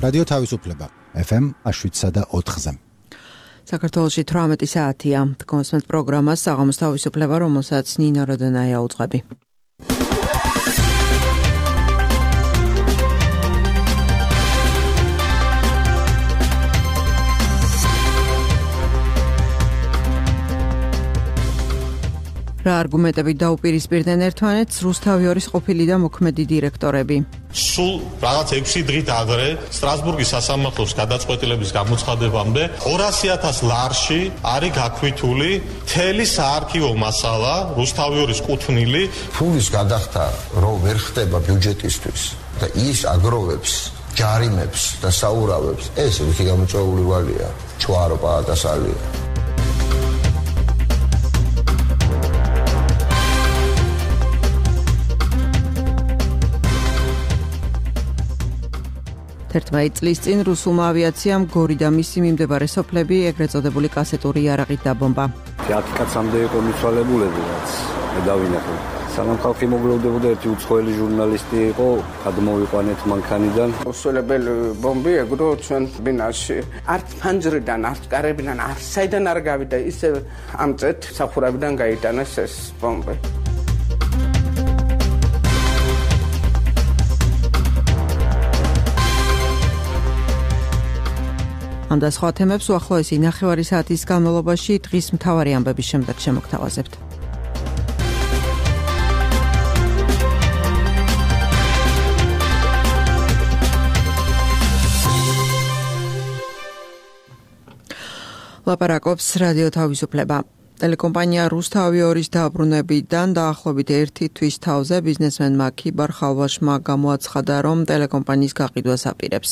რადიო თავისუფლება FM 107.4-ზე. საქართველოში 18 საათია. კონსმეთ პროგრამას საღამოს თავისუფლება, რომელსაც ნინო როდონაია უძღვები. რა არგუმენტებით დაუპირისპირდნენ ერთმანეთს რუსთავი ორის ყოფილი და მოქმედი დირექტორები. სულ რაღაც 6 დღით ადრე სტრასბურგის სასამართლოს გადაწყვეტილების გამოცხადებამდე 200,000 ლარში არის გაქვithული მთელი საარქივო მასალა რუსთავი ორის კუთვნილი ფულის გადახდა რო ვერ ხდება ბიუჯეტისთვის და ის აგროვებს ჯარიმებს და საურავებს ეს რუსი გამოწვეული ვალია ჩვარო პაადასალია. ერთმანეთ წლის წინ რუსულმა ავიაციამ გორი და მისი მიმდებარე სოფლები ეგრეთ წოდებული კასეტური იარაღით დაბომბა. 10 კაცამდე იყო მიცვალებულები, რაც მე დავინახე. სანამ ხალხი მოგლოვდებოდა ერთი უცხოელი ჟურნალისტი იყო, გადმოვიყვანეთ მანქანიდან. მოსულებელი ბომბი ეგრო ჩვენ ბინაში. არც ფანჯრიდან, არც კარებიდან, არც საიდან არ გავიდა, ისე ამწეთ სახურავიდან გაიტანეს ეს ბომბი. ამ და სხვა თემებს უახლოესი ნახევარი საათის განმავლობაში დღის მთავარი ამბების შემდეგ შემოგთავაზებთ. ლაპარაკობს რადიო თავისუფლება. ტელეკომპანია რუსთავი ორის დაბრუნებიდან დაახლოებით 1 თვის თავზე ბიზნესმენმა ქიბარ ხალვაშმა გამოაცხადა, რომ ტელეკომპანიის გაყიდვას აპირებს.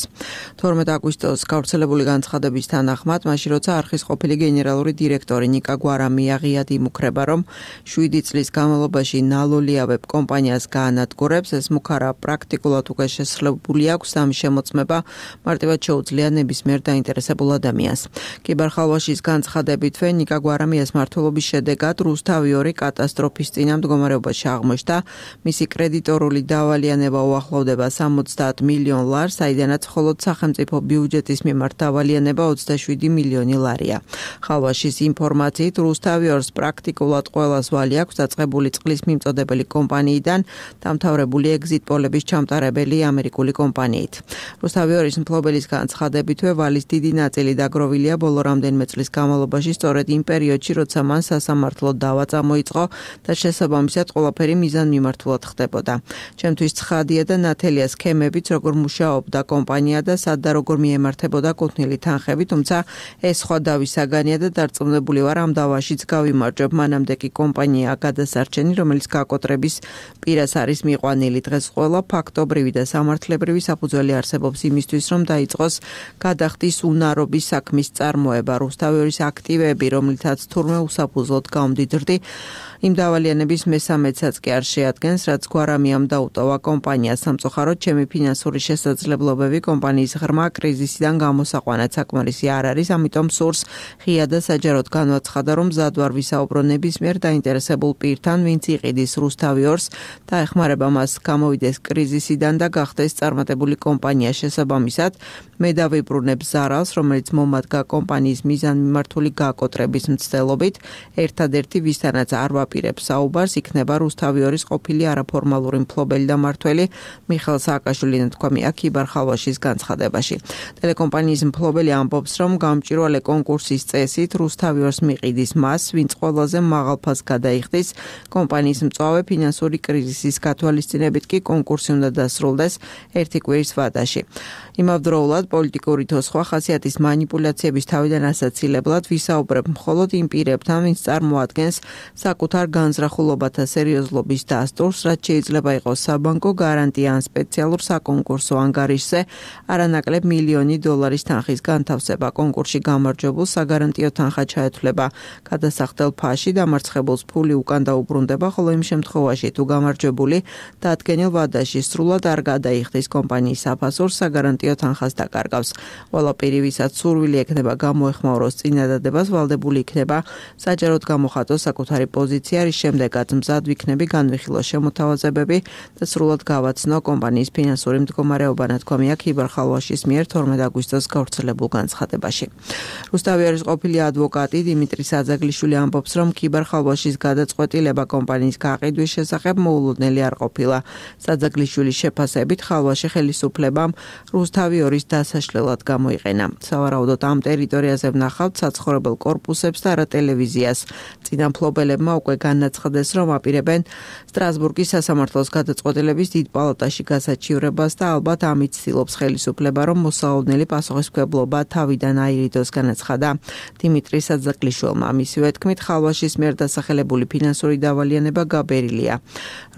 12 აგვისტოს გავრცელებული განცხადების თანახმად, მაშინ როცა არხის ყოფილი გენერალური დირექტორი ნიკა გვარამი აღიად იმუქრება, რომ 7 წლის განმავლობაში ნალოლიავებ კომპანიას გაანადგურებს, ეს მუქარა პრაქტიკულად უკვე შესრულებული აქვს და ამის შემოწმება მარტივად შეუძლია ნებისმიერ დაინტერესებულ ადამიანს. ქიბარ ხალვაშის განცხადებითვე ნიკა გვარამი მმართველობის შედეგად რუსთავი ორი კატასტროფის წინა მდგომარეობაში აღმოჩნდა. მისი კრედიტორული დავალიანება უახლოვდება 70 მილიონ ლარს, საიდანაც მხოლოდ სახელმწიფო ბიუჯეტის მიმართ დავალიანება 27 მილიონი ლარია. ხალვაშის ინფორმაციით რუსთავი ორს პრაქტიკულად ყველას ვალი აქვს დაწყებული წყლის მიმწოდებელი კომპანიიდან დამთავრებული ეგზიტ პოლების ჩამტარებელი ამერიკული კომპანიით. რუსთავი ორის მფლობელის განცხადებითვე ვალის დიდი ნაწილი დაგროვილია ბოლო რამდენიმე წლის განმავლობაში სწორედ იმ პერიოდში, როცა მან სასამართლო დავა წამოიწყო და შესაბამისად ყველაფერი მიზანმიმართულად ხდებოდა. ჩემთვის ცხადია და ნათელია სქემებიც, როგორ მუშაობდა კომპანია და სად და როგორ მიემართებოდა კუთვნილი თანხები, თუმცა ეს სხვა დავის საგანია და დარწმუნებული ვარ ამ დავაშიც გავიმარჯვებ. მანამდე კი კომპანია გადასარჩენი, რომელიც გაკოტრების პირას არის მიყვანილი. დღეს ყველა ფაქტობრივი და სამართლებრივი საფუძველი არსებობს იმისთვის, რომ დაიწყოს გადახდის უნარობის საქმის წარმოება. რუსთავი ორის აქტივები, რომლითაც თურმე უსაფუძვლოდ გამდიდრდი, იმ დავალიანების მესამედსაც კი არ შეადგენს, რაც გვარამიამ დაუტოვა კომპანიას. სამწუხაროდ, ჩემი ფინანსური შესაძლებლობები კომპანიის ღრმა კრიზისიდან გამოსაყვანად საკმარისი არ არის, ამიტომ სურს ღია და საჯაროდ განვაცხადა, რომ მზად ვარ ვისაუბრო ნებისმიერ დაინტერესებულ პირთან, ვინც იყიდის რუსთავი ორს და ეხმარება მას გამოვიდეს კრიზისიდან და გახდეს წარმატებული კომპანია. შესაბამისად, მე დავიბრუნებ ზარალს, რომელიც მომადგა კომპანიის მიზანმიმართული გაკოტრების მცდელობით. ერთადერთი ვისთანაც არ ვაპირებს საუბარს იქნება რუსთავი ორის ყოფილი არაფორმალური მფლობელი და მმართველი მიხეილ სააკაშვილიდან თქვა ქიბარ ხალვაშის განცხადებაში. ტელეკომპანიის მფლობელი ამბობს, რომ გამჭვირვალე კონკურსის წესით რუსთავი ორს მიყიდის მას, ვინც ყველაზე მაღალ ფასს გადაიხდის. კომპანიის მწვავე ფინანსური კრიზისის გათვალისწინებით კი კონკურსი უნდა დასრულდეს 1 კვირის ვადაში. იმავდროულად პოლიტიკური თუ სხვა ხასიათის манипуляციების თავიდან ასაცილებლად ვისაუბრებ მხოლოდ იმ პირებთან, ვინც წარმოადგენს საკუთარ განზრახულობათა სერიოზლობის დასტურს, რაც შეიძლება იყოს საბანკო გარანტია ან სპეციალურ საკონკურსო ანგარიშზე არანაკლებ მილიონი დოლარის თანხის განთავსება. კონკურსში გამარჯვებულს საგარანტიო თანხა ჩაეთვლება გადასახდელ ფასში, დამარცხებულს ფული უკან დაუბრუნდება, ხოლო იმ შემთხვევაში თუ გამარჯვებული დადგენილ ვადაში სრულად არ გადაიხდის კომპანიის საფასურს, საგარანტიო თანხას დაკარგავს. ყველა პირი, ვისაც სურვილი ექნება გამოეხმაუროს წინადადებას, ვალდებული იქნება საჯაროდ გამოხატოს საკუთარი პოზიცია მოიცია, რის შემდეგაც მზად ვიქნები განვიხილო შემოთავაზებები და სრულად გავაცნო კომპანიის ფინანსური მდგომარეობა, ნათქვამია ქიბერ-ხალვაშის მიერ 12 აგვისტოს გავრცელებულ განცხადებაში. რუსთავიორის ყოფილი ადვოკატი დიმიტრი საძაგლიშვილი ამბობს, რომ ქიბერ-ხალვაშის გადაწყვეტილება კომპანიის გაყიდვის შესახებ მოულოდნელი არ ყოფილა. საძაგლიშვილის შეფასებით ხალვაში ხელისუფლებამ რუსთავიორის დასაშლელად გამოიყენა. სავარაუდოდ ამ ტერიტორიაზე ვნახავთ საცხოვრებელ კორპუსებს და არა ტელევიზიას. წინა მფლობელებმა უკვე განაცხადეს, რომ აპირებენ სტრასბურგის სასამართლოს გადაწყვეტილების დიდ პალატაში გასაჩივრებას და ალბათ ამით ცდილობს ხელისუფლება, რომ მოსაოდნელი პასუხისმგებლობა თავიდან აირიდოს, განაცხადა დიმიტრი საძაგლიშვილმა. მისივე თქმით, ხალვაშის მიერ დასახელებული ფინანსური დავალიანება გაბერილია.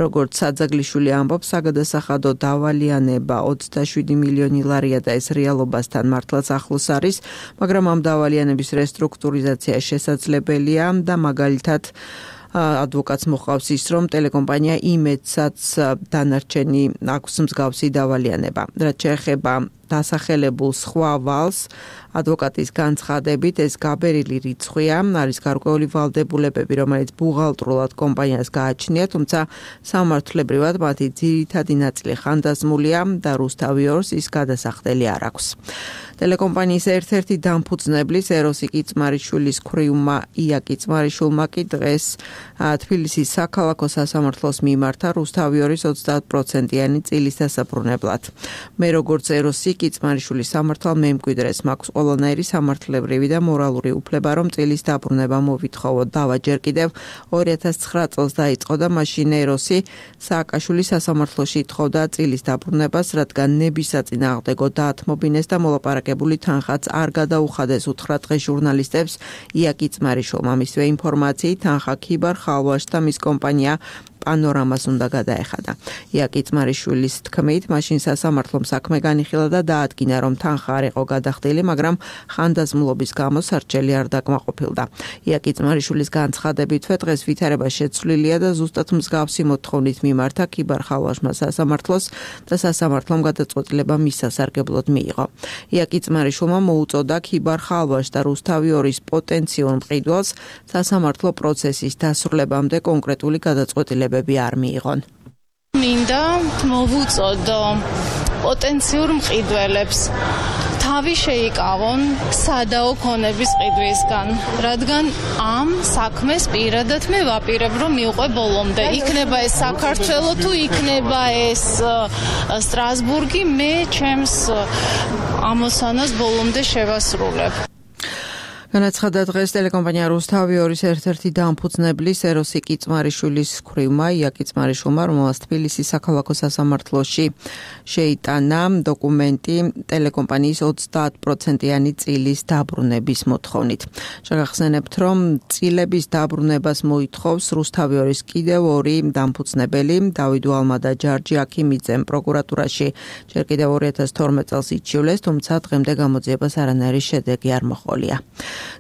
როგორც საძაგლიშვილი ამბობს, საგადასახადო დავალიანება 27 მილიონი ლარია და ეს რეალობასთან მართლაც ახლოს არის, მაგრამ ამ დავალიანების რესტრუქტურიზაცია შესაძლებელია და მაგალითად ადვოკატს მოყავს ის, რომ ტელეკომპანია იმედსაც დანარჩენი აქვს მსგავსი დავალიანება. რაც შეეხება დასახელებულ სხვა ვალს, ადვოკატის განცხადებით ეს გაბერილი რიცხვია, არის გარკვეული ვალდებულებები, რომელიც ბუღალტრულად კომპანიას გააჩნია, თუმცა სამართლებრივად მათი ძირითადი ნაწილი ხანდაზმულია და რუსთავიორს ის გადასახდელი არ აქვს. ტელეკომპანიის ერთ-ერთი დამფუძნებლის ეროსი კიწმარიშვილის ქვრივმა ია კიწმარიშვილმა კი დღეს თბილისის საქალაქო სასამართლოს მიმართა რუსთავიორის 30%-იანი წილის დასაბრუნებლად. მე როგორც ეროსი კიწმარიშვილის სამართალ მემკვიდრეს მაქვს ყველანაირი სამართლებრივი და მორალური უფლება, რომ წილის დაბრუნება მოვითხოვოთ. დავა ჯერ კიდევ 2009 წელს დაიწყო და მაშინ ეროსი სააკაშვილის სასამართლოში ითხოვდა წილის დაბრუნებას, რადგან ნებისაწინააღმდეგო დაათმობინეს და მოლაპარაკებული თანხაც არ გადაუხადეს უთხრა დღეს ჟურნალისტებს ია კიწმარიშვილმა. მისივე ინფორმაციით თანხა ქიბერ-ხალვაშ და მის კომპანია პანორამას უნდა გადაეხადა. ია კიწმარიშვილის თქმით, მაშინ სასამართლომ საქმე განიხილა და დაადგინა, რომ თანხა არ იყო გადახდილი, მაგრამ ხანდაზმულობის გამო სარჩელი არ დაკმაყოფილდა. ია კიწმარიშვილის განცხადებითვე დღეს ვითარება შეცვლილია და ზუსტად მსგავსი მოთხოვნით მიმართა ქიბერ-ხალვაშმა სასამართლოს და სასამართლომ გადაწყვეტილება მის სასარგებლოდ მიიღო. ია კიწმარიშვილმა მოუწოდა ქიბერ-ხალვაშ და რუსთავიორის პოტენციურ მყიდველს სასამართლო პროცესის დასრულებამდე კონკრეტული გადაწყვეტილება არ მიიღონ. მინდა მოვუწოდო პოტენციურ მყიდველებს თავი შეიკავონ სადაო ქონების ყიდვისგან, რადგან ამ საქმეს პირადად მე ვაპირებ, რომ მივყვე ბოლომდე. იქნება ეს საქართველო თუ იქნება ეს სტრასბურგი, მე ჩემს ამოსანას ბოლომდე შევასრულებ. განაცხადა დღეს ტელეკომპანია რუსთავიორის ერთ-ერთი დამფუძნებლის ეროსი კიწმარიშვილის ქვრივმა ია კიწმარიშვილმა, რომელსაც თბილისის საქალაქო სასამართლოში შეიტანა დოკუმენტი ტელეკომპანიის 30%-იანი წილის დაბრუნების მოთხოვნით. შეგახსენებთ, რომ წილების დაბრუნებას მოითხოვს რუსთავიორის კიდევ ორი დამფუძნებელი, დავით ვალმა და ჯარჯი აქიმიძემ პროკურატურაში ჯერ კიდევ 2012 წელს იჩივლეს, თუმცა დღემდე გამოძიებას არანაირი შედეგი არ მოჰყოლია.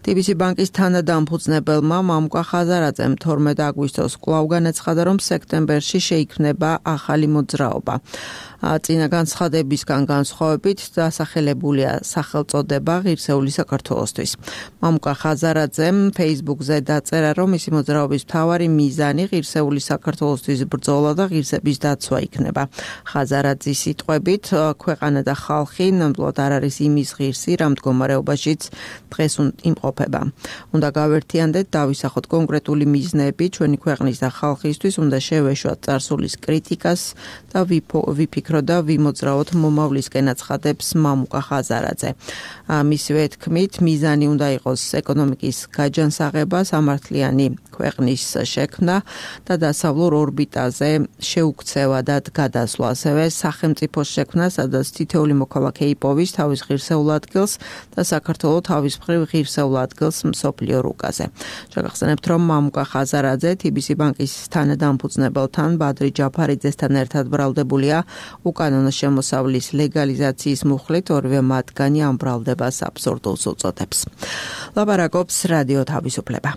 TBC ბანკის თანადამფუძნებელმა მამუკა ხაზარაძემ 12 აგვისტოს კვლავ განაცხადა, რომ სექტემბერში შეიქმნება ახალი მოძრაობა. წინა განცხადებისგან განსხვავებით დასახელებულია სახელწოდება ღირსეული საქართველოსთვის. მამუკა ხაზარაძემ Facebook-ზე დაწერა, რომ მისი მოძრაობის მთავარი მიზანი ღირსეული საქართველოსთვის ბრძოლა და ღირსების დაცვა იქნება. ხაზარაძის სიტყვებით, ქვეყანა და ხალხი ნამდვილად არ არის იმის ღირსი, რა მდგომარეობაშიც დღეს იმყოფება. უნდა გავერთიანდეთ, დავისახოთ კონკრეტული მიზნები ჩვენი ქვეყნის და ხალხისთვის, უნდა შევეშვათ წარსულის კრიტიკას და ვიფიქროთ და ვიმოძრაოთ მომავლისკენ აცხადებს მამუკა ხაზარაძე. მისივე თქმით, მიზანი უნდა იყოს ეკონომიკის გაჯანსაღება, სამართლიანი ქვეყნის შექმნა და დასავლურ ორბიტაზე შეუქცევა და გადასვლა, ასევე სახელმწიფოს შექმნა, სადაც თითოეული მოქალაქე იპოვის თავის ღირსეულ ადგილს და საქართველო თავის მხრივ ღირსეულ ადგილს მსოფლიო რუკაზე. შეგახსენებთ, რომ მამუკა ხაზარაძე TBC ბანკის თანადამფუძნებელთან ბადრი ჯაფარიძესთან ერთად ბრალდებულია უკანონო შემოსავლის ლეგალიზაციის მუხლით, ორივე მათგანი ამ ბრალდებას აბსურდულს უწოდებს. ლაპარაკობს რადიო თავისუფლება.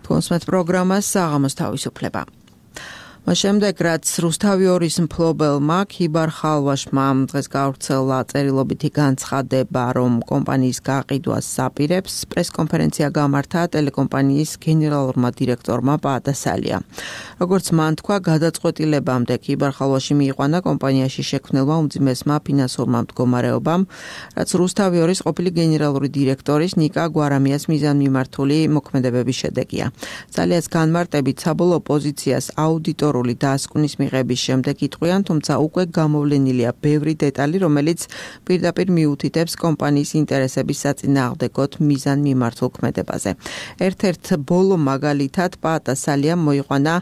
თქვენს პროგრამას საღამოს თავისუფლება. შემდეგ რაც რუსთავი-2-ის მფლობელმა ქიბარ ხალვაშმა დღეს გავრცელა წერილობითი განცხადება, რომ კომპანიის გაყიდვას საპირებს, პრესკონფერენცია გამართა ტელეკომპანიის გენერალურმა დირექტორმა პაატასალიამ. როგორც მან თქვა, გადაწყვეტილებამდე ქიბარ ხალვაში მიიყვანა კომპანიაში შექმნილმა უმძიმესმა ფინანსურმა მდგომარეობამ, რაც რუსთავი-2-ის ყოფილი გენერალური დირექტორის ნიკა გვარამიას მიზანმიმართული მოქმედებების შედეგია. სალიას განმარტებით საბოლოო პოზიციას აუდიტორული დასკვნის მიღების შემდეგ იტყვიან, თუმცა უკვე გამოვლენილია ბევრი დეტალი, რომელიც პირდაპირ მიუთითებს კომპანიის ინტერესების საწინააღმდეგოდ მიზანმიმართულ ქმედებაზე. ერთ-ერთ ბოლო მაგალითად პაატასალიამ მოიყვანა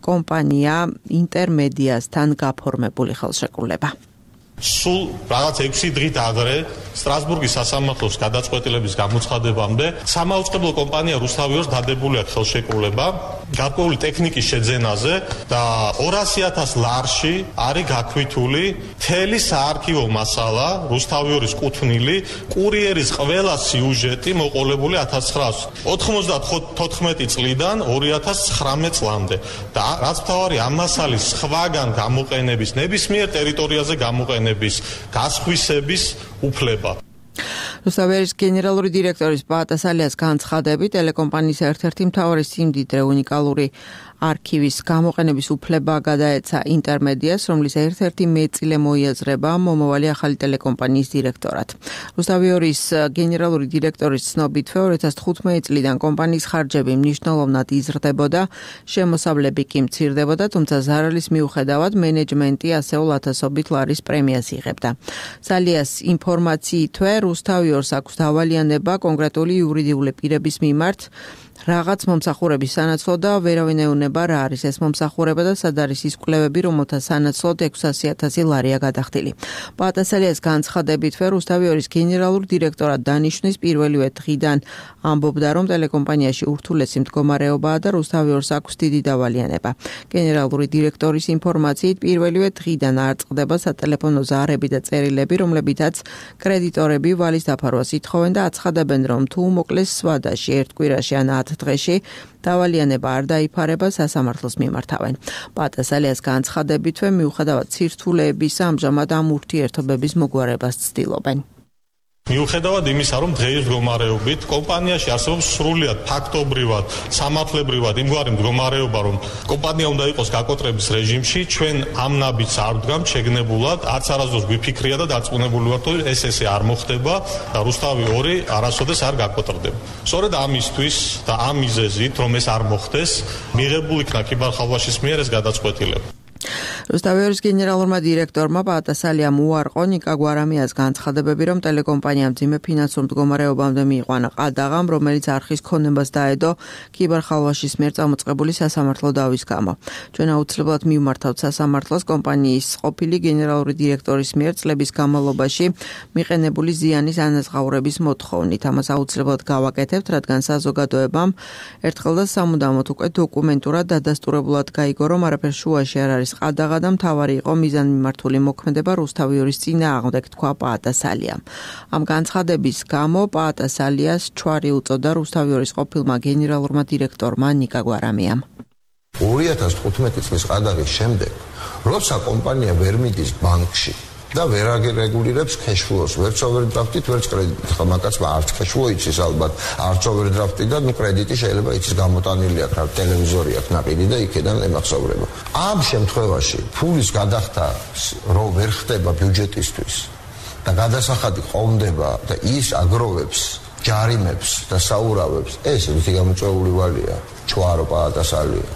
კომპანია ინტერმედიასთან გაფორმებული ხელშეკრულება. სულ რაღაც 6 დღით ადრე სტრასბურგის სასამართლოს გადაწყვეტილების გამოცხადებამდე სამაუწყებლო კომპანია რუსთავი-2-ს დადებული აქვს ხელშეკრულება გარკვეული ტექნიკის შეძენაზე და 200,000 ლარში არის გაქვითული მთელი საარქივო მასალა რუსთავი-2-ის კუთვნილი კურიერის ყველა სიუჟეტი მოყოლებული 1994 წლიდან 2019 წლამდე და რაც მთავარი ამ მასალის სხვაგან გამოყენების ნებისმიერ ტერიტორიაზე გამოყენების გასხვისების უფლება. რუსთავი-2-ის გენერალური დირექტორის პაატასალიას განცხადებით, ტელეკომპანიის ერთ-ერთი მთავარი სიმდიდრე უნიკალური არქივის გამოყენების უფლება გადაეცა ინტერმედიას, რომლის ერთ-ერთი მეტწილე მოიაზრება მომავალი ახალი ტელეკომპანიის დირექტორად. რუსთავი-2-ის გენერალური დირექტორის ცნობით, 2015 წლიდან კომპანიის ხარჯები მნიშვნელოვნად იზრდებოდა, შემოსავლები კი მცირდებოდა, თუმცა ზარალის მიუხედავად მენეჯმენტი ასეულ ათასობით ლარის პრემიას იღებდა. სალიას ინფორმაციითვე რუსთავი-2-ს აქვს დავალიანება კონკრეტული იურიდიული პირების მიმართ რაღაც მომსახურების სანაცვლოდ და ვერავინ ეუნება რა არის ეს მომსახურება და სად არის ის კვლევები, რომელთა სანაცვლოდ 600,000 ლარია გადახდილი. პაატასალიას განცხადებითვე რუსთავი-2-ის გენერალურ დირექტორად დანიშნვის პირველივე დღიდან ამბობდა, რომ ტელეკომპანიაში ურთულესი მდგომარეობაა და რუსთავი-2-ს აქვს დიდი დავალიანება. გენერალური დირექტორის ინფორმაციით პირველივე დღიდან არ წყდება სატელეფონო ზარები და წერილები, რომლებითაც კრედიტორები ვალის დაფარვას ითხოვენ და აცხადებენ, რომ თუ მოკლეს სვადაში ერთ კვირაში ან 10 დღეში დავალიანება არ დაიფარება, სასამართლოს მიმართავენ. პაატასალიას განცხადებითვე მიუხედავად სირთულეებისა, ამჟამად ამ ურთიერთობების მოგვარებას ცდილობენ. მიუხედავად იმისა, რომ დღეის მდგომარეობით კომპანიაში არსებობს სრულიად ფაქტობრივად, სამართლებრივად იმგვარი მდგომარეობა, რომ კომპანია უნდა იყოს გაკოტრების რეჟიმში, ჩვენ ამ ნაბიჯს არ ვდგამთ შეგნებულად, არც არასდროს გვიფიქრია და დარწმუნებული ვართ, რომ ეს არ მოხდება და რუსთავი-2 არასოდეს არ გაკოტრდება. სწორედ ამისთვის და ამ მიზეზით, რომ ეს არ მოხდეს, მიღებული იქნა ქიბარ ხალვაშის მიერ ეს გადაწყვეტილება. რუსთავი-2-ის გენერალურმა დირექტორმა პაატასალიამ უარყო ნიკა გვარამიას განცხადებები, რომ ტელეკომპანიამ მძიმე ფინანსურ მდგომარეობამდე მიიყვანა ყადაღამ, რომელიც არხის ქონებას დაედო ქიბარ ხალვაშის მიერ წამოწყებული სასამართლო დავის გამო. ჩვენ აუცილებლად მივმართავთ სასამართლოს კომპანიის ყოფილი გენერალური დირექტორის მიერ წლების განმავლობაში მიყენებული ზიანის ანაზღაურების მოთხოვნით. ამას აუცილებლად გავაკეთებთ, რადგან საზოგადოებამ ერთხელ და სამუდამოდ უკვე დოკუმენტურად დადასტურებულად გაიგო, რომ არაფერ შუაში არ არის ყადაღა და მთავარი იყო მიზანმიმართული მოქმედება რუსთავი-2-ის წინააღმდეგ, თქვა პაატასალიამ. ამ განცხადების გამო პაატასალიას ჩვარი უწოდა რუსთავი-2-ის ყოფილმა გენერალურმა დირექტორმა ნიკა გვარამიამ. 2015 წლის ყადაღის შემდეგ, როცა კომპანია ვერ მიდის ბანკში და ვერ აგრეგულირებს cash-flow-ს, ვერც overdraft-ით, ვერც კრედიტით. ხა მაგაცმა არც cash-flow იცის ალბათ, არც overdraft-ით და კრედიტი შეიძლება იცის გამოტანილი აქვს, რა ტელევიზორი აქვს ნაყიდი და იქიდან ემახსოვრება. ამ შემთხვევაში ფულის გადახდა რო ვერ ხდება ბიუჯეტისთვის და გადასახადი ყოლდება და ის აგროვებს ჯარიმებს და საურავებს, ეს რითი გამოწვეული ვალია, ჩვარო პაატასალია.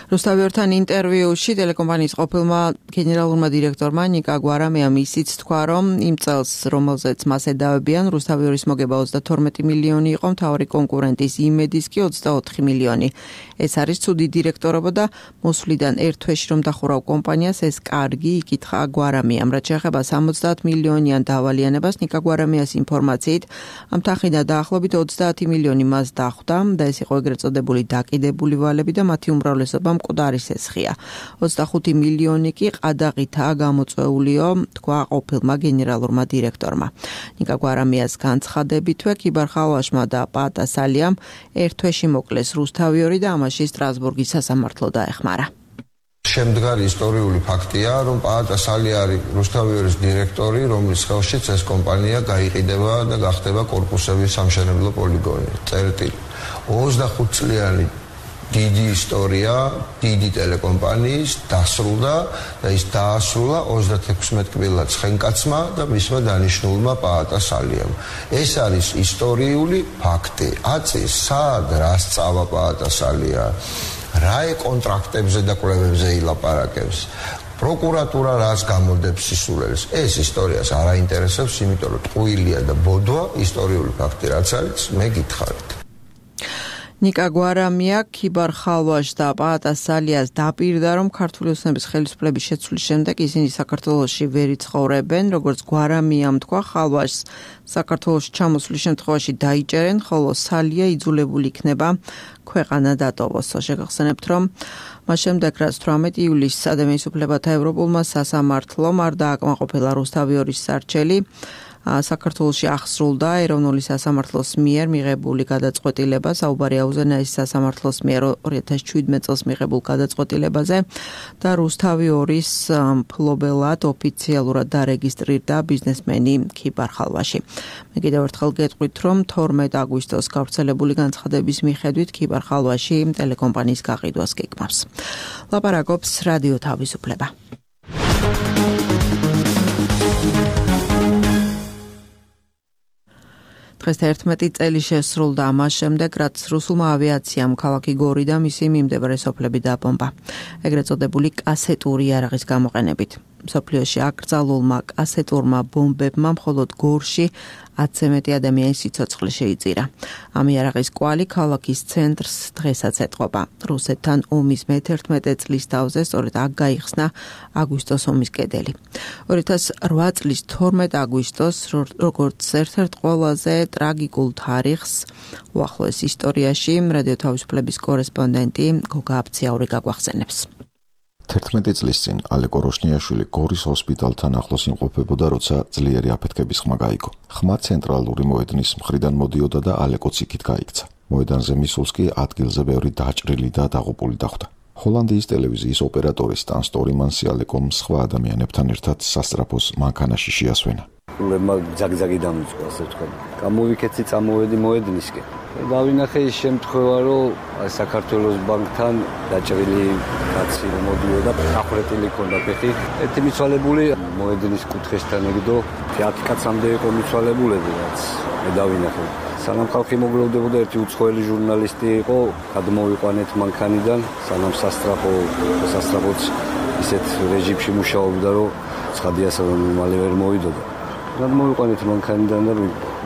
რუსთავი-2-თან ინტერვიუში ტელეკომპანიის ყოფილმა გენერალურმა დირექტორმა ნიკა გვარამიამ ისიც თქვა, რომ იმ წელს, რომელზეც მას ედავებიან, რუსთავი-2-ის მოგება 32 მილიონი იყო, მთავარი კონკურენტის იმედის კი 24 მილიონი. ეს არის ცუდი დირექტორობა და მოსვლიდან ერთ თვეში რომ დახურავ კომპანიას, ეს კარგი, იკითხა გვარამიამ. რაც შეეხება 70 მილიონიან დავალიანებას, ნიკა გვარამიას ინფორმაციით, ამ თანხიდან დაახლოებით 30 მილიონი მას დახვდა და ეს იყო ეგრეთ წოდებული დაკიდებული ვალები და მათი უმრავლესობა მკვდარი სესხია. 25 მილიონი კი ყადაღითაა გამოწვეულიო, თქვა ყოფილმა გენერალურმა დირექტორმა. ნიკა გვარამიას განცხადებითვე ქიბარ ხალვაშმა და პაატასალიამ ერთ თვეში მოკლეს რუსთავი-2 და ამაში სტრასბურგის სასამართლო დაეხმარა. შემდგარი ისტორიული ფაქტია, რომ პაატა სალი არის რუსთავიორის დირექტორი, რომლის ხელშიც ეს კომპანია გაიყიდება და გახდება კორპუსების სამშენებლო პოლიგონი. წერტილი. 25 წლიანი დიდი ისტორია, დიდი ტელეკომპანიის დასრულდა და ის დაასრულა 36 კბილად ცხენკაცმა და მისმა დანიშნულმა პაატა სალიამ. ეს არის ისტორიული ფაქტი. აწის სად რას წავა პაატა სალია? რა კონტრაქტებზე და კვლევებზე ილაპარაკებს? პროკურატურა რას გამოდებს სისულელს? ეს ისტორიას არ აინტერესებს, იმიტომ რომ ტყუილია და ბოდვა ისტორიული ფაქტი რაც არის, მე გითხარით. ნიკა გვარამია ქიბარ ხალვაშ და პაატა სალიას დაპირდა, რომ ქართული ოცნების ხელისუფლების შეცვლის შემდეგ ისინი საქართველოში ვერ იცხოვრებენ, როგორც გვარამიამ თქვა, ხალვაშს საქართველოში ჩამოსვლის შემთხვევაში დაიჭერენ, ხოლო სალია იძულებული იქნება ქვეყანა დატოვოს. შეგახსენებთ, რომ მას შემდეგ, რაც 18 ივლისს ადამიანის უფლებათა ევროპულმა სასამართლომ არ დააკმაყოფილა რუსთავიორის სარჩელი, საქართველოში აღსრულდა ეროვნული სასამართლოს მიერ მიღებული გადაწყვეტილება, საუბარია უზენაეს სასამართლოს მიერ 2017 წელს მიღებულ გადაწყვეტილებაზე და რუსთავიორის მფლობელად ოფიციალურად დარეგისტრირდა ბიზნესმენი ქიბარ ხალვაში. მე კიდევ ერთხელ გეტყვით, რომ 12 აგვისტოს გავრცელებული განცხადების მიხედვით ქიბარ ხალვაში ტელეკომპანიის გაყიდვას გეგმავს. ლაპარაკობს რადიო თავისუფლება. დღეს 11 წელი შესრულდა ამას შემდეგ, რაც რუსულმა ავიაციამ ქალაქი გორი და მისი მიმდებარე სოფლები დააბომბა. ეგრეთ წოდებული კასეტური იარაღის გამოყენებით. მსოფლიოში აკრძალულმა კასეტურმა ბომბებმა მხოლოდ გორში 10-ზე მეტი ადამიანის სიცოცხლე შეიწირა. ამ იარაღის კვალი ქალაქის ცენტრს დღესაც ეტყობა. რუსეთთან ომის მე-11 წლის თავზე სწორედ აქ გაიხსნა აგვისტოს ომის კედელი. 2008 წლის 12 აგვისტოს, როგორც ერთ-ერთ ყველაზე ტრაგიკულ თარიღს უახლოეს ისტორიაში, რადიო თავისუფლების კორესპონდენტი გოგა აბციაური გაგვახსენებს. 11 წლის წინ ალე კოროშნიაშვილი გორის ჰოსპიტალთან ახლოს იმყოფებოდა, როცა ძლიერი აფეთქების ხმა გაიგო. ხმა ცენტრალური მოედნის მხრიდან მოდიოდა და ალეკოც იქით გაიქცა. მოედანზე მისულს კი ადგილზე ბევრი დაჭრილი და დაღუპული დახვდა. ჰოლანდიის ტელევიზიის ოპერატორის სტან სტორმანსი ალეკომ სხვა ადამიანებთან ერთად სასწრაფოს მანქანაში შეასვენა. ძაგძაგი დამიწყო, ასე ვთქვათ. გამოვიქეცი წამოვედი მოედნისკენ. დავინახე ის შემთხვევა, რომ საქართველოს ბანკთან დაჭრილი კაცი მოდიოდა, ახურეტილი ქონდა ფეხი. ერთი მიცვალებული მოედნის კუთხესთან ეგდო, 10 კაცამდე იყო მიცვალებულები, რაც მე დავინახე. სანამ ხალხი მოგლოვდებოდა, ერთი უცხოელი ჟურნალისტი იყო, გადმოვიყვანეთ მანქანიდან, სანამ სასტრაფოც ისეთ რეჟიმში მუშაობდა, რომ ცხადიას მალე ვერ მოვიდოდა. გადმოვიყვანეთ მანქანიდან და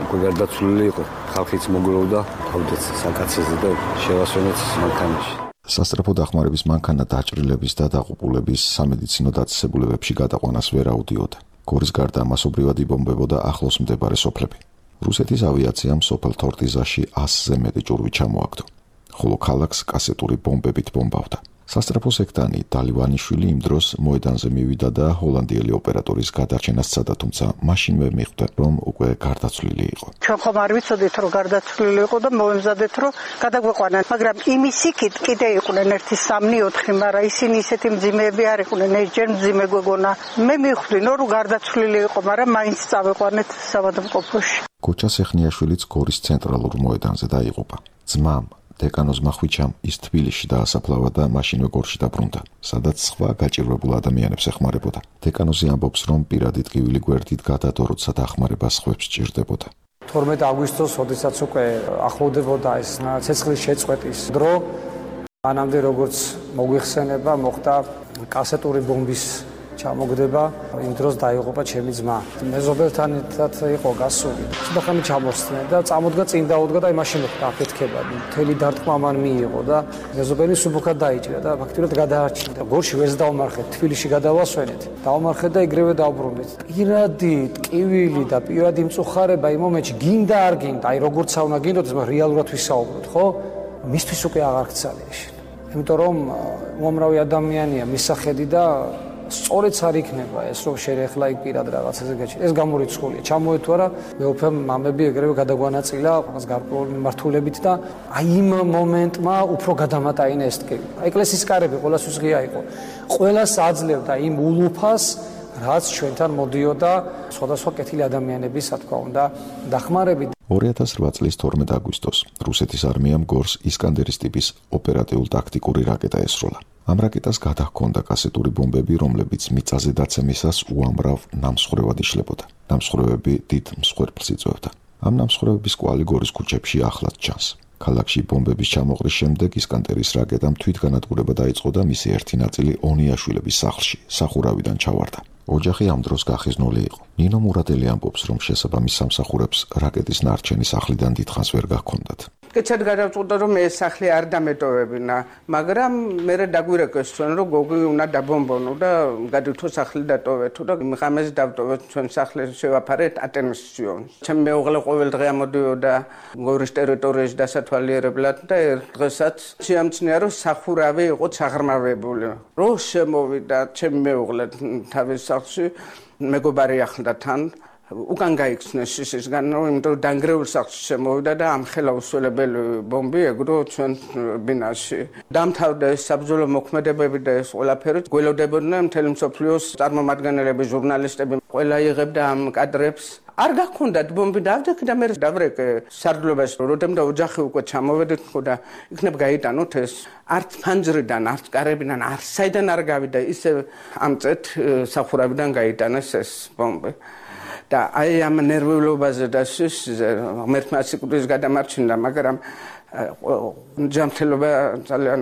უკვე გარდაცვლილი იყო. ხალხიც მოგლოვდა, თავდაც საკაცეზე და შევასვენეთ მანქანაში. სასტრაფო დახმარების მანქანა დაჭრილების და დაღუპულების სამედიცინო დაწესებულებებში გადაყვანას ვერ აუდიოდა. გორის გარდა მასობრივად იბომბებოდა ახლოს მდებარე სოფლები. რუსეთის ავიაციამ სოფელ თორტიზაში 100-ზე მეტი ჭურვი ჩამოაგდო, ხოლო ქალაქს კასეტური ბომბებით ბომბავდა. სასტრაფო სექტანი დალივანიშვილი იმ დროს მოედანზე მივიდა და ჰოლანდიელი ოპერატორის გადარჩენას სცადა, თუმცა მაშინვე მიხვდა, რომ უკვე გარდაცვლილი იყო. ჩვენ ხომ არ ვიცოდით, რომ გარდაცვლილი იყო და მოვემზადეთ, რომ გადაგვეყვანან, მაგრამ იმის იქით კიდე იყვნენ 1-3-4, მაგრამ ისინი ისეთი მძიმეები არ იყვნენ, ჯერ მძიმე გვეგონა. მე მივხვდინო, რომ გარდაცვლილი იყო, მაგრამ მაინც წავეყვანეთ საავადმყოფოში. კოჩა სეხნიაშვილიც გორის ცენტრალურ მოედანზე დაიღუპა. ძმამ დეკანოზმა ხვიჩამ ის თბილისში დაასაფლავა და მაშინვე გორში დაბრუნდა, სადაც სხვა გაჭირვებულ ადამიანებს ეხმარებოდა. დეკანოზი ამბობს, რომ პირადი ტკივილი გვერდით გადადო, როცა დახმარება სხვებს სჭირდებოდა. 12 აგვისტოს, როდესაც უკვე ახლოვდებოდა ეს ცეცხლის შეწყვეტის დრო, მანამდე როგორც მოგვიხსენება, მოხდა კასეტური ბომბის ჩამოგდება, იმ დროს დაიღუპა ჩემი ძმა. მეზობელთან ერთად იყო გასული. ცოტა ხანი ჩამოსწნე და წამოდგა წინ დაუდგა და მაშინ მოხდა აფეთქება. მთელი დარტყმა მან მიიღო და მეზობელი სუბუქად დაიჭირა და ფაქტიურად გადაარჩინდა. გორში ვერც დავმარხეთ, თბილისში გადავასვენეთ. დავმარხეთ და ეგრევე დავბრუნდით. პირადი ტკივილი და პირადი მწუხარება იმ მომენტში გინდა არ გინდა, აი როგორცა უნდა გინდოდეს, მაგრამ რეალურად ვისაუბროთ, ხო? მისთვის უკვე აღარ გცალია. იმიტომ რომ უამრავი ადამიანია მისახედი და სწორიც არ იქნება ეს რომ შეიძლება იქ პირად რაღაცაზე გაჩნდეს. ეს გამორიცხულია. ჩამოეთ თუ არა მეუფე მამები ეგრევე გადაგვანაწილა რაღაც გარკვეული მიმართულებით და აი იმ მომენტმა უფრო გადამატაინა ეს ტკივილი. ეკლესიის კარები ყოველთვის ღია იყო. ყველას აძლევდა იმ ულუფას რაც ჩვენთან მოდიოდა სხვადასხვა კეთილი ადამიანების, რა თქმა უნდა, დახმარებით. 2008 წლის 12 აგვისტოს რუსეთის არმიამ გორს ისკანდერის ტიპის ოპერატიულ-ტაქტიკური რაკეტა ესროლა. ამ რაკეტას გადაჰქონდა კასეტური ბომბები, რომლებიც მიწაზე დაცემისას უამრავ ნამსხვრევად იშლებოდა. ნამსხვრევები დიდ მსხვერპლს იწვევდა. ამ ნამსხვრევების კვალი გორის ქუჩებში ახლად ჩანს. ქალაქში ბომბების ჩამოყრის შემდეგ ისკანდერის რაკეტამ თვითგანადგურება დაიწყო და მისი ერთი ნაწილი ონიაშვილების სახლში, სახურავიდან ჩავარდა. ოჯახი ამ დროს გახიზნული იყო. ნინო მურადელი ამბობს, რომ შესაბამის სამსახურებს რაკეტის ნარჩენი სახლიდან დიდხანს ვერ გაქონდათ. კეცად გადავწყვიტე რომ ეს სახლი არ დამეტოვებინა, მაგრამ მე დაგვირეკეს ჩვენ რომ გოგი უნდა დაბომბონო და გადავთო სახლი დატოვეთო და ღამეს დავტოვეთ ჩვენ სახლი შევაფარეთ ატენსიონს. ჩემი მეუღლე ყოველ დღე ამოდიოდა გორის ტერიტორიაში დასათვალიერებლად და ერთ დღესაც შეამჩნია რომ სახურავი იყო ჩაღრმავებული. რო შემოვიდა ჩემი მეუღლე თავის სახლში მეგობარი ახლდა თან უკან გაიქცნეს შიშისგან, იმიტომ რომ დანგრეულ სახლში შემოვიდა და ამ ხელა უსველებელი ბომბი ეგრო ჩვენ ბინაში. დამთავრდა ეს საბრძოლო მოქმედებები და ეს ყველაფერი გველოდებოდნენ მთელი მსოფლიოს წარმომადგენლები, ჟურნალისტები, ყველა იღებდა ამ კადრებს. არ გაქონდათ ბომბი დავდექი და მე დავრეკე სარდლობაში, როდესაც ოჯახი უკვე ჩამოვედით და იქნებ გაიტანოთ ეს არც ფანჯრიდან, არც კარებიდან, არც საიდან არ გავიდა, ისე ამწეთ სახურავიდან გაიტანეს ეს ბომბი. და აი ამ ნერვიულობაზე და ღმერთმა სიკვდილის გადამარჩინდა, მაგრამ ჯანმრთელობა ძალიან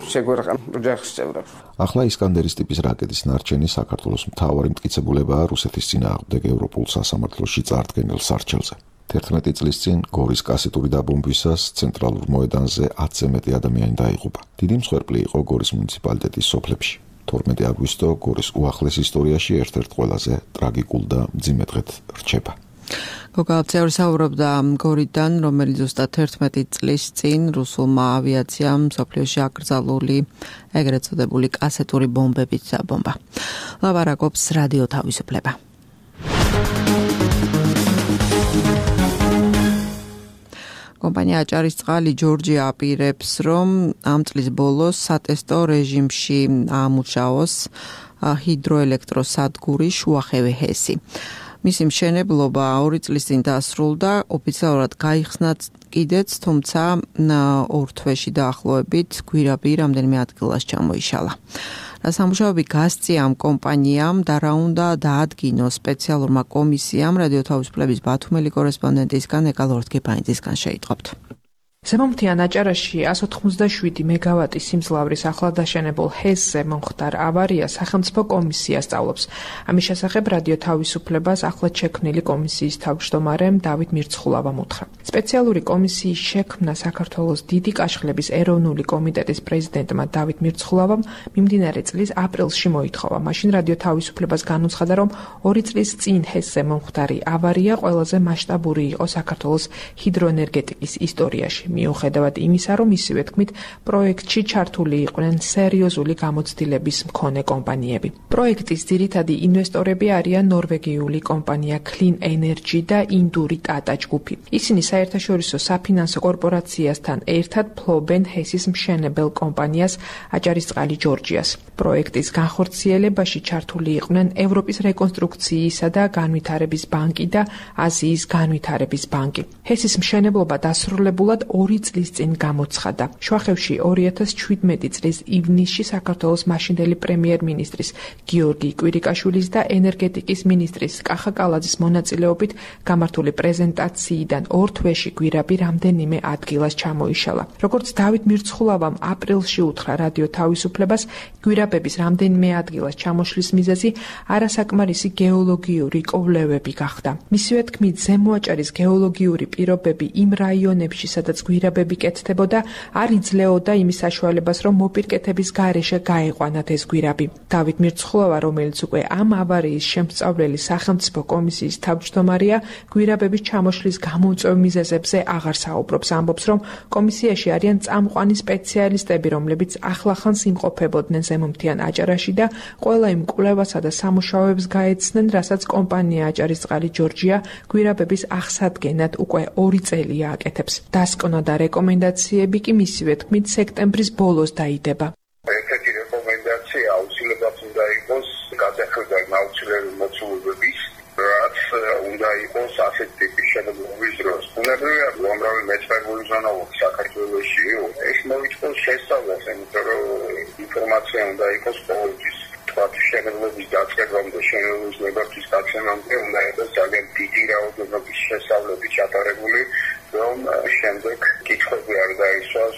შეგვერყა ოჯახის წევრებს. ახლა ისკანდერის ტიპის რაკეტის ნარჩენი საქართველოს მთავარი მტკიცებულებაა რუსეთის წინააღმდეგ ევროპულ სასამართლოში წარდგენილ სარჩელზე. 11 წლის წინ გორის კასეტური დაბომბვისას ცენტრალურ მოედანზე 10-ზე მეტი ადამიანი დაიღუპა. დიდი მსხვერპლი იყო გორის მუნიციპალიტეტის სოფლებში. 12 აგვისტო გორის უახლეს ისტორიაში ერთ-ერთ ყველაზე ტრაგიკულ და მძიმე დღედ რჩება. გოგალცევრი საუბრობდა გორიდან, რომელიც ზუსტად 11 წლის წინ რუსულმა ავიაციამ მსოფლიოში აკრძალული ეგრეთ წოდებული კასეტური ბომბებით დაბომბა. ლაპარაკობს რადიო თავისუფლება. კომპანია აჭარისწყალი ჯორჯია აპირებს, რომ ამ წლის ბოლოს სატესტო რეჟიმში აამუშავოს ჰიდროელექტროსადგური შუახევი ჰესი. მისი მშენებლობა 2 წლის წინ დასრულდა, ოფიციალურად გაიხსნა კიდეც, თუმცა 2 თვეში დაახლოებით გვირაბი რამდენიმე ადგილას ჩამოიშალა. სამუშაოები გასწია ამ კომპანიამ და რა უნდა დაადგინოს სპეციალურმა კომისიამ, რადიო თავისუფლების ბათუმელი კორესპონდენტისგან ეკალორთგებაინძისგან შეიტყობთ. ზემოთიან აჭარაში 187 მეგავატის სიმძლავრის ახლადაშენებულ ჰესზე მომხდარ ავარია სახელმწიფო კომისია სწავლობს. ამის შესახებ რადიო თავისუფლებას ახლად შექმნილი კომისიის თავმჯდომარემ დავით მირცხულავამ უთხრა. სპეციალური კომისიის შექმნა საქართველოს დიდი კაშხლების ეროვნული კომიტეტის პრეზიდენტმა დავით მირცხულავამ მიმდინარე წლის აპრილში მოითხოვა. მაშინ რადიო თავისუფლებას განუცხადა, რომ 2 წლის წინ ჰესზე მომხდარი ავარია ყველაზე მასშტაბური იყო საქართველოს ჰიდროენერგეტიკის ისტორიაში. მიუხედავად იმისა, რომ მისივე თქმით, პროექტში ჩართული იყვნენ სერიოზული გამოცდილების მქონე კომპანიები. პროექტის ძირითადი ინვესტორები არიან ნორვეგიული კომპანია Clean Energy და ინდური Tata ჯგუფი. ისინი საერთაშორისო საფინანსო კორპორაციასთან ერთად ფლობენ ჰესის მშენებელ კომპანიას აჭარისწყალი ჯორჯიას. პროექტის განხორციელებაში ჩართული იყვნენ ევროპის რეკონსტრუქციისა და განვითარების ბანკი და აზიის განვითარების ბანკი. ჰესის მშენებლობა დასრულებულად 2 წლის წინ გამოცხადა. შუახევში 2017 წლის ივნისში საქართველოს მაშინდელი პრემიერ-მინისტრის გიორგი კვირიკაშვილის და ენერგეტიკის მინისტრის კახა კალაძის მონაწილეობით გამართული პრეზენტაციიდან 2 თვეში გვირაბი რამდენიმე ადგილას ჩამოიშალა. როგორც დავით მირცხულავამ აპრილში უთხრა რადიო თავისუფლებას, გვირაბების რამდენიმე ადგილას ჩამოშლის მიზეზი არასაკმარისი გეოლოგიური კვლევები გახდა. მისივე თქმით, ზემო აჭარის გეოლოგიური პირობები იმ რაიონებში, სადაც გვირაბები კეთდებოდა, არ იძლეოდა იმის საშუალებას, რომ მოპირკეთების გარეშე გაეყვანათ ეს გვირაბი. დავით მირცხულავა, რომელიც უკვე ამ ავარიის შემსწავლელი სახელმწიფო კომისიის თავმჯდომარეა, გვირაბების ჩამოშლის გამომწვევ მიზეზებზე აღარ საუბრობს. ამბობს, რომ კომისიაში არიან წამყვანი სპეციალისტები, რომლებიც ახლახანს იმყოფებოდნენ ზემომთიან აჭარაში და ყველა იმ კვლევასა და სამუშაოებს გაეცნენ, რასაც კომპანია აჭარისწყალი ჯორჯია გვირაბების აღსადგენად უკვე 2 წელია აკეთებს. დასკვნა და რეკომენდაციები კი მისივე თქმით სექტემბრის ბოლოს დაიდება. ერთ-ერთი რეკომენდაცია აუცილებლად უნდა იყოს გადახედვა აუცილებელი მოცულობების, რაც უნდა იყოს ასეთ ტიპის შენობების დროს. უნებრივია უამრავი მეცნიერული ზონალობა საქართველოში ეს მოითხოვს შესწავლას, იმიტომ რომ ინფორმაცია უნდა იყოს ყოველთვის. შენობების დაწყებამდე, შენობების ნებართვის გაცემამდე უნდა იყოს ძალიან დიდი რაოდენობის შესწავლები ჩატარებული, რომ შემდეგ კითხვები არ დაისვას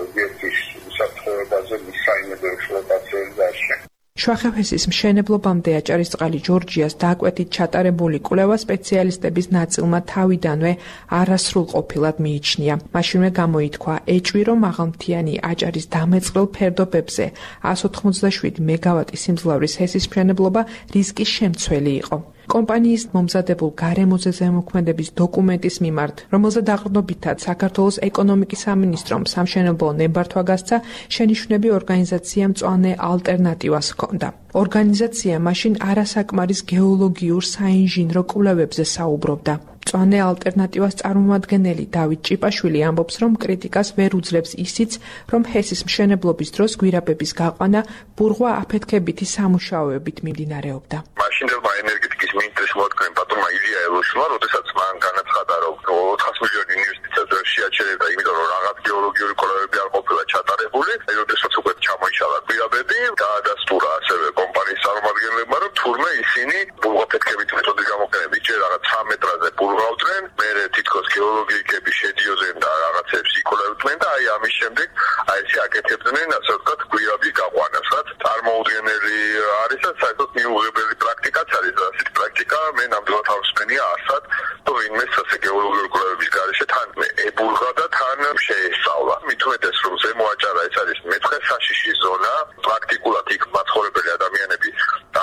ობიექტის უსაფრთხოებაზე მის საიმედო ექსპლუატაციაზე დაშენ. შვახეთის მშენებლობამდე აჭარისწყალი ჯორჯიას დაკვეთით ჩატარებული კვლევა სპეციალისტების ნაწილმა თავიდანვე არასრულყოფილად მიიჩნია. მაშინვე გამოითქვა ეჭვი, რომ მაღალმთიანი აჭარის დამეწყრელ ფერდობებზე 187 მეგავატი სიმძლავრის ჰესის მშენებლობა რისკის შემცველი იყო. კომპანიის მომზადებულ გარემოზე ზემოქმედების დოკუმენტის მიმართ, რომელზე დაყრდნობითად საქართველოს ეკონომიკის სამინისტრომ სამშენებლო ნებართვა გასცა, შენიშვნები ორგანიზაციამ მწვანე ალტერნატივას ჰქონდა. ორგანიზაცია მაშინ არასაკმარის გეოლოგიურ საინჟინრო კვლევებზე საუბრობდა. მწვანე ალტერნატივას წარმომადგენელი დავით ჭიპაშვილი ამბობს, რომ კრიტიკას ვერ უძლებს ისიც, რომ ჰესის მშენებლობის დროს გვირაბების გაყვანა ბურღვა აფეთქებითი სამუშაოებით მიმდინარეობდა. მაშინდელმა ენერგეტიკის მინისტრის მოადგენ პატრონმა ილია ელოშმა, როდესაც მან განაცხადა, რომ 400 მილიონი ინვესტიციას ვერ შეაჩერებდა, იმიტომ რომ რაღაც გეოლოგიური კვლევები არ ყოფილა ჩატარებული, როდესაც უკვე ჩამოიშალა გვირაბები, დაადასტურა ასევე კომპანიის წარმომადგენლებმა, რომ თურმე ისინი ბურღვაფეთქებით მეთოდის გამოყენებით ჯერ რაღაც 3 მეტრაზე ბურღვავდნენ, მერე თითქოს გეოლოგიკები შედიოდნენ და რაღაცებს იკვლევდნენ და აი ამის შემდეგ აი ესე აკეთებდნენ, ასე ვთქვათ, გვირაბის გაყვანას, რაც წარმოუდგენელი არის და საერთოდ მიუღებელი პრაქტიკაც არის. ასეთი პრაქტიკა მე ნამდვილად არ ვსმენია არსად, თუ ვინმე ასე გეოლოგიური კვლევების გარეშე თან ებურღა და თან შეესწავლა. მით უმეტეს რომ ზემო აჭარა ეს არის მეთხე საშიში ზონა, პრაქტიკულად იქ მაცხოვრებელი ადამიანები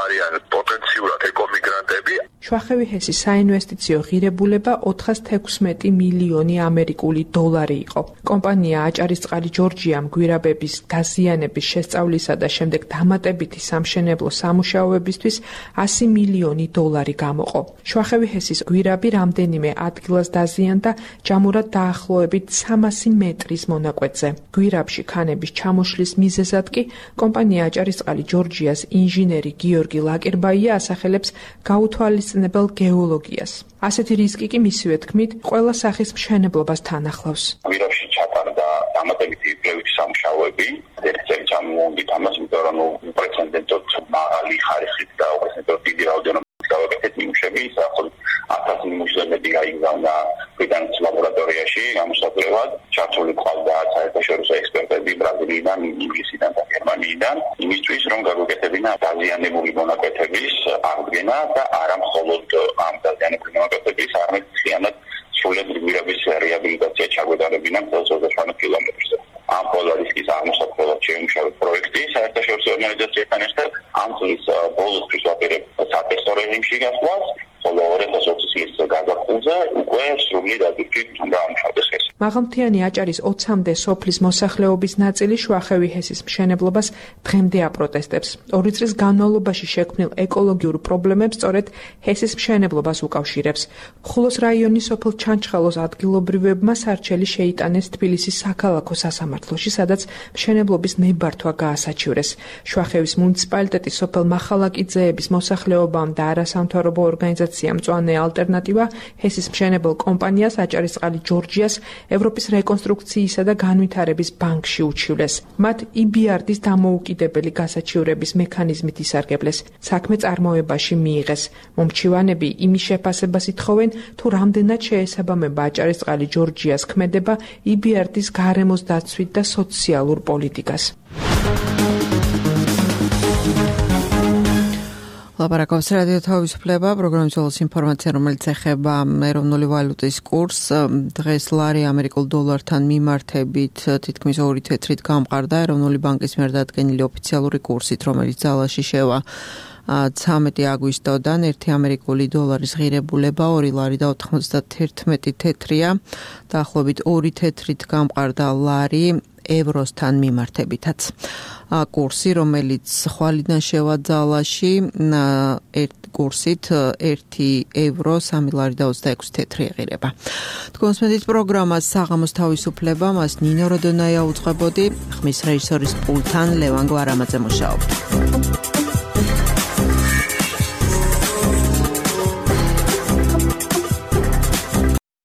არიან პოტენციურად ეკომიგრანტები. შვახევი ჰესის საინვესტიციო ღირებულება 416 მილიონი ამერიკული დოლარი იყო. კომპანია აჭარისწყალი ჯორჯიამ გვირაბების დაზიანების შესწავლისა და შემდეგ დამატებითი სამშენებლო სამუშაოებისთვის 100 მილიონი დოლარი გამოყო. შვახევი ჰესის გვირაბი რამდენიმე ადგილას დაზიანდა ჯამურად დაახლოებით 300 მეტრის მონაკვეთზე. გვირაბში ქანების ჩამოშლის მიზეზად კი კომპანია აჭარისწყალი ჯორჯიას ინჟინერი გიორგი ლაკერბაია ასახელებს გაუთვალისწინებელ გეოლოგიას. ასეთი რისკი კი მისივე თქმით ყველა სახის მშენებლობას თან ახლავს. გვირაბში ჩატარდა დამატებითი კვლევითი სამუშაოები, ერთ წელი ჩამოვიდით ამას, იმიტომ რომ უპრეცედენტოდ მაღალი ხარისხით და უპრეცედენტოდ დიდი რაოდენობით გავაკეთეთ ნიმუშები, საერთოდ 1000 ნიმუშები გაიგზავნა ბრიტანეთის ლაბორატორიაში გამოსაკვლევად. ჩართული ყავდა საერთაშორისო ექსპერტები ბრაზილიიდან, ინგლისიდან და გერმანიიდან, იმისთვის რომ გაგვეკეთებინა დაზიანებული მონაკვეთების აღდგენა და არა მხოლოდ ამ დაზიანებული მონაკვეთების, არამედ მთლიანად სრულად გვირაბის რეაბილიტაცია ჩაგვეტარებინა მთელ 25 კილომეტრზე. ამ ყველა რისკის აღმოსაყრელად შეიმუშავა პროექტი საერთაშორისო ორგანიზაციასთან ერთად. ამ წლის ბოლოსთვის ვაპირებთ სატესტო რეჟიმში გასვლას, ხოლო 2020 წლის გაზაფხულზე უკვე სრულად ადვილი უნდა ამუშავდეს ეს. მაღალმთიანი აჭარის 20-მდე სოფლის მოსახლეობის ნაწილი შვახევი ჰესის მშენებლობას დღემდე აპროტესტებს. 2 წლის განმავლობაში შექმნილ ეკოლოგიურ პრობლემებს სწორედ ჰესის მშენებლობას უკავშირებს. ხულოს რაიონის სოფელ ჩანჩხალოს ადგილობრივებმა სარჩელი შეიტანეს თბილისის საქალაქო სასამართლოში, სადაც მშენებლობის ნებართვა გაასაჩივრეს. შვახევის მუნიციპალიტეტის სოფელ მახალაკიძეების მოსახლეობამ და არასამთავრობო ორგანიზაციამ მწვანე ალტერნატივა ჰესის მშენებელ კომპანიას აჭარისწყალი ჯორჯიას ევროპის რეკონსტრუქციისა და განვითარების ბანკში უჩივლეს. მათ EBRD-ის დამოუკიდებელი გასაჩივრების მექანიზმით ისარგებლეს. საქმე წარმოებაში მიიღეს. მომჩივანები იმის შეფასებას ითხოვენ, თუ რამდენად შეესაბამება აჭარისწყალი ჯორჯიას ქმედება EBRD-ის გარემოს დაცვით და სოციალურ პოლიტიკას. ლაპარაკობს რადიო თავისუფლება, პროგრამის όλოს ინფორმაცია, რომელიც ეხება ეროვნული ვალუტის კურსს. დღეს ლარი ამერიკულ დოლართან მიმართებით თითქმის 2 თეთრით გამყარდა ეროვნული ბანკის მიერ დადგენილი ოფიციალური კურსით, რომელიც ძალაში შევა 13 აგვისტოდან 1 ამერიკული დოლარის ღირებულება 2 ლარი და 91 თეთრია. დაახლოებით 2 თეთრით გამყარდა ლარი ევროსთან მიმართებითაც. კურსი, რომელიც ხვალიდან შევა ძალაში, კურსით 1 ევრო 3 ლარი და 26 თეთრი ეღირება. თქვენს მედიის პროგრამას საღამოს თავისუფლება, მას ნინო როდონაია უძღვებოდი, ხმის რეჟისორის პულტთან ლევან გვარამაძე მუშაობდა.